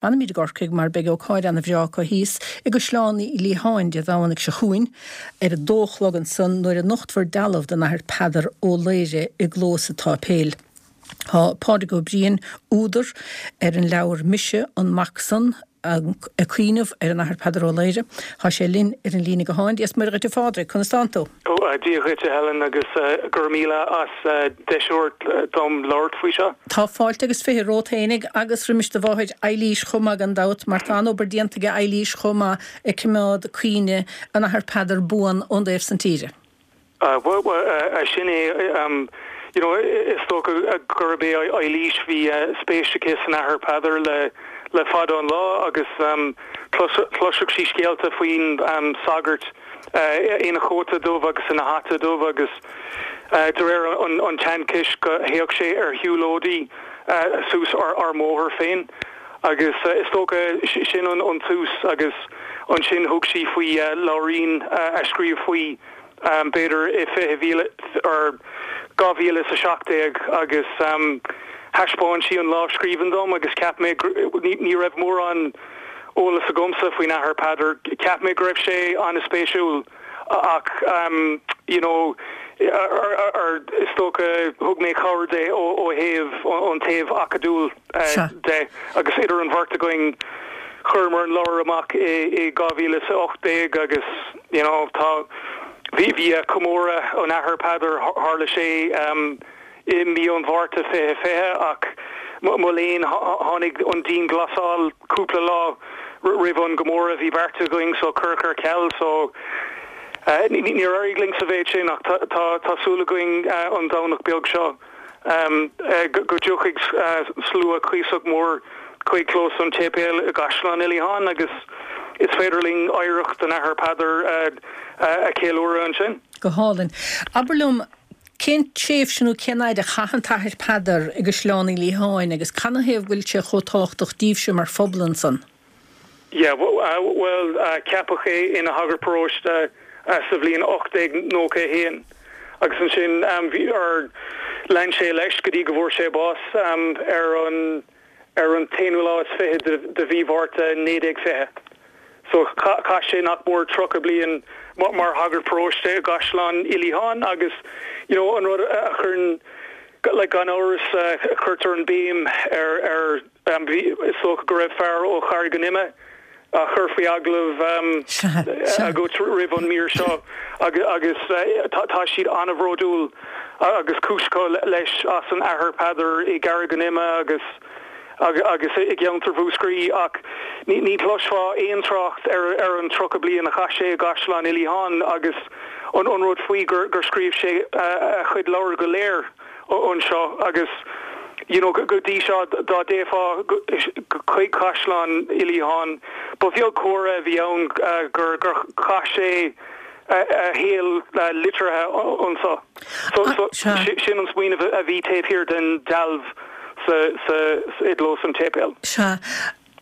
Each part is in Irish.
Fanfaimid i gCorcaigh mar beidh ócáid ana bhreá acu thíos i gCaisleán Uí Liatháin Dé Domhnaigh seo chugainn ar a dó a chlog ansan nuair a nochtfar dealbh den Athair Peadar Ó Laoghaire i gclós an tsáipéil. Tá Pádraig Ó Briain, údar ar an leabhar Mise an Mac San, ag cuimhneamh ar an Athair Peadar Ó Laoghaire. Tá sé linn ar an líne gutháin. Dia 's Muire dhuit a Phádraig, conas tánn tú? Dia dhuit a Helen agus go raibh míle as deis a thabhairt dom labhairt faoi seo. Tá fáilte agus 20 romhat fhéinig agus roimis do mháthair Eilís chomh maith gan dabht mar tá an-obair déanta aige Eilís chomh maith ag coimeád cuimhne an Athar Peadar buan ón dtaobh san tíre. Bhuel sin é, you know is dócha gurb é Eilís, bhí spéis aici san Athair Peadar le le fada an lá agus chloiseadh sí scéalta faoin sagart ina chóta dubh agus ina hata dubh agus de réir an tseanchais go théadh sé ar shiúlóidí suas ár mbóthar féin agus is dócha sin an tús agus ansin thug sí faoi leabhairín a scríobh faoi b'fhéidir i 20, or 2017 agus thaispeáin sí an lámhscríbhinn dom agus cheap mé, ní raibh mórán eolas agamsa faoin Athair Peadar, cheap mé go raibh sé an-spéisiúil ach you know is dócha thug mé cabhair di ó thaobh an taobh acadúil de agus idir an bheirt againn chuireamar an leabhar amach i 2018 agus you know tá bhí bhí comóradh an Athar Peadar tharla sé i mí an Mhárta 2020 ach mo léan tháinig an dianghlasáil cúpla lá roimh an gcomóradh a bhí beartaithe againn so cuireadh ar ceal so níor éirigh linn sa mhéid sin ach tá tá súil againn an Domhnach beag seo go dtiocfaidh slua cuíosach mór chuig clós an tséipéil i gCaisleán Uí Liatháin agus is féidir linn oidhreacht an Athar Peadar a cheiliúradh ansin. Go hálainn. Abair liom, cén tréimhse nó cén fhaid a chaith an tAthair Peadar i gCaisleán Uí Liatháin agus canathaobh go bhfuil sé chomh tábhachtach daoibhse mar phobal ansan? Yeah, bhuel, ceapadh é ina shagart paróiste sa bhliain 1891 agus ansin bhí, or lean sé leis go dtí go bhfuair sé bás ar an ar an t-aonú lá is fiche de mhí Mhárta 1920. So chaith sé nach mór 30 bliain mar shagart paróiste i gCaisleán Uí Liatháin agus you know an rud a chuireann like gan amhras cuirtear an béim ar ar Is dócha go raibh fear ó Charraig an Ime á chur faoi agallamh agat roimh an mír seo agus tá siad an-bhródúil agus cúis acu leis as an Athair Peadar i gCarraig an Ime agus agus i gceantar Mhúscraí ach ní chloisfeá aon trácht ar an 30 bliain a chaith sé i gCaisleán Uí Liatháin agus an rud faoi gur scríobh sé a chuid leabhar go léir. anseo agus you know go dtí seo dá dtéifeá chuig Caisleán Uí Liatháin ba bheag comhartha a bhí ann gur gur chaith sé a shaol liteartha anseo. So so sin an smaoineamh a bhí taobh thiar den dealbh sa sa i gclós an tséipéil. Sea.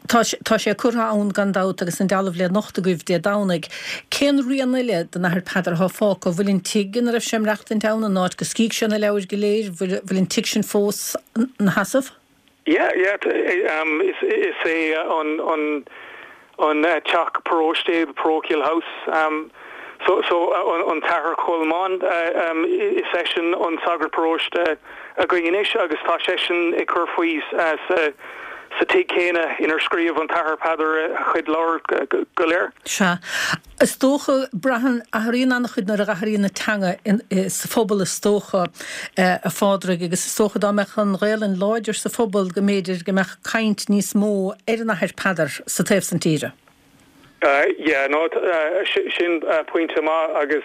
Tá, tá sé curtha ann gan dabht agus an dealbh le nochtadh agaibh Dé Domhnaigh. Cén rian eile den Athair Peadar atá fágtha? Bhfuil an tigh ina raibh sé ag maireachtaint ann, an áit go scrígh sé na leabhair go léir, bhfuil, bhfuil an tigh sin fós 'na sheasamh? Yeah, yeah, is, is é an, an, an teach paróiste, the parochial house, so, so an tAthair Colmán, is eisean an sagart paróiste againn anois agus tá seisean ag cur faoi sa, sa tigh céanna inar scríobh an tAthair Peadar a chuid leabhar go léir. Sea. Is dócha, braitheann, athraíonn an-chuid nuair a athraíonn an teanga sa phobal is dócha, a Phádraig, agus is dócha dá mbeadh an Ghaelainn láidir sa phobal go mb'fhéidir go mbeadh caint níos mó ar an Athair Peadar sa taobh san tíre. Yeah, no, sin pointe maith agus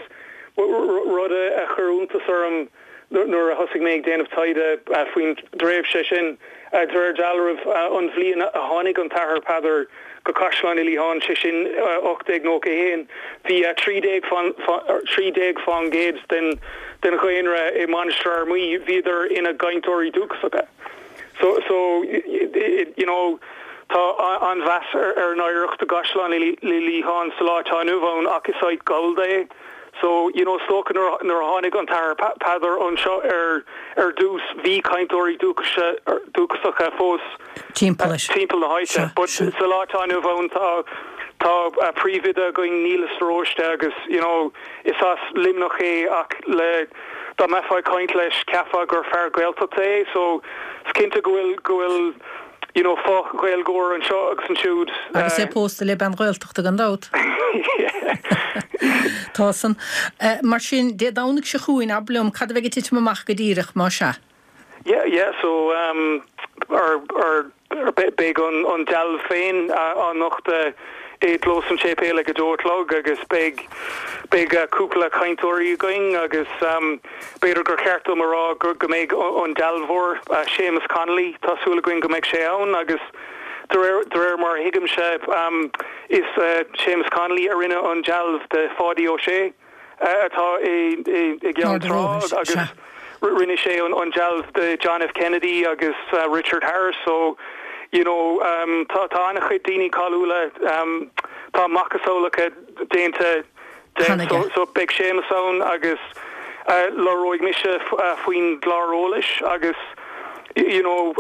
rud a chuir iontas orm nuair a thosaigh mé ag déanamh taighde faoin dtréimhse sin, de réir dealraimh, an bhliain a tháinig an tAthair Peadar go Caisleán Uí Liatháin, sé sin 1891, bhí 13 fán gcéad den dhaonra i Mainistir Fhear Maí, bhíodar ina gcainteoirí dúchasacha. So, so, you know, tá an-mheas ar an oidhreacht i gCaisleán Uí Liatháin sa lá atá inniu ann ach is áit Ghallda é. So, you know, is dócha nuair a tháinig an tAthair Peadar anseo ar ar dtús, bhí cainteoirí dúchasacha fós timpeall na háite. But sa lá atá inniu ann tá tá príomhoide againn, Niallas de Róiste, agus, you know, is as Luimneach é ach le dá mbeifeá ag caint leis cheapfá gur fear Gaeltachta é. So, is cinnte go bhfuil go bhfuil you know, fo-Ghaeilgeoir anseo agus ansiúd. Agus é pósta le bean Ghaeltachta gan dabht. Tá san. Mar sin, Dé Domhnaigh seo chugainn, abair liom, cad a bheidh ag titim amach go díreach, más ea? Yeah, yeah, so, um, ar, ar, beidh an, an dealbh féin á nochtadh i gclós an tséipéil ag a dó a chlog agus beidh, beidh cúpla cainteoirí againn agus, um, B'fhéidir gur cheart dom a rá go mbeidh an dealbhóir, Séamus Connolly, tá súil againn go mbeidh sé ann agus de réir mar a thuigimse is Séamus Connolly a rinne an dealbh de Pháidí Ó Sé atá i gCeann Trá agus rinne sé an dealbh de John F Kennedy agus Richard Harris so you know tá an-chuid daoine cáiliúla, tá macasamhlacha déanta de. So beidh Séamus ann agus labhróidh mise faoin gclár eolais agus you know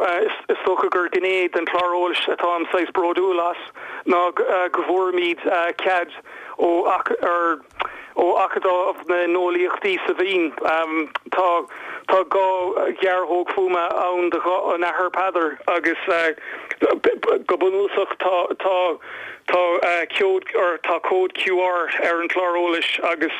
is dócha gur gné den chlár eolais atáim saghas bródúil as ná go bhfuairimid cead ó ó Acadamh na nEolaíochtaí sa Vín. Tá tá 2 ghearrthóg fuaime ann de ghuth an Athar Peadar agus go bunúsach tá tá Tá cód or tá cód QR ar an chlár eolais agus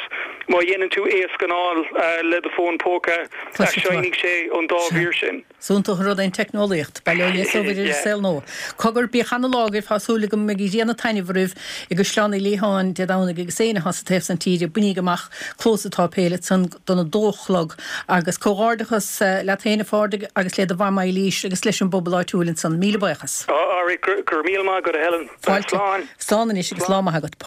má dhéanann tú é a scanáil le do fón póca, seinnfidh sé an dá mhír sin. Is iontach an rud é an teicneolaíocht. Bail ó Dhia is ó Mhuire ar an saol nua. Cogar, bíodh ana-lá agaibh, tá súil agam go mbeidh an ghrian ag taitneamh oraibh i gCaisleán Uí Liatháin Dé Domhnaigh agus éinne atá sa taobh san tíre, bainíg amach clós an tsáipéil ansan don 2 a chlog. Agus comhghairdeachas leat féin a Phádraig agus le do mham Eilís agus leis an bpobal áitiúil ansan. Míle buíochas. Alright, go raibh míle maith agat a Helen. Fáilte. Slán. Slán anois agus lá maith agat.